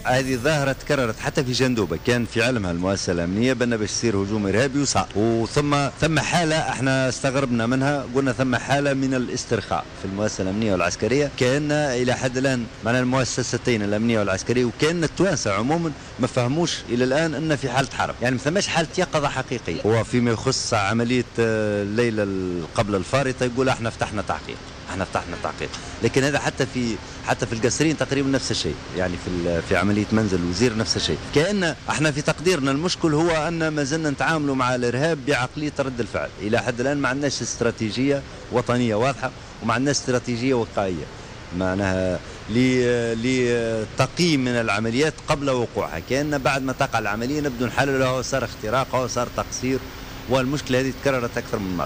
هذه ظاهرة تكررت حتى في جندوبة، كان في علمها المؤسسة الأمنية بأن باش يصير هجوم إرهابي وصار، وثم ثم حالة احنا استغربنا منها، قلنا ثم حالة من الاسترخاء في المؤسسة الأمنية والعسكرية، كأن إلى حد الآن معنا المؤسستين الأمنية والعسكرية وكأن التوانسة عموما ما فهموش إلى الآن أن في حالة حرب، يعني ما ثماش حالة يقظة حقيقية. وفيما يخص عملية الليلة قبل الفارطة يقول احنا فتحنا تحقيق، احنا فتحنا تحقيق، لكن هذا حتى في القصرين تقريبا نفس الشيء، يعني في عملية منزل الوزير نفس الشيء. كأن احنا في تقديرنا المشكل هو ان ما زلنا نتعاملوا مع الارهاب بعقلية رد الفعل، الى حد الان ما عندناش استراتيجية وطنية واضحة وما عندناش استراتيجية وقائيه، معناها لتقييم من العمليات قبل وقوعها، كأن بعد ما تقع العملية نبدو نحللها، صار اختراق وصار تقصير، والمشكلة هذه تكررت اكثر من مرة.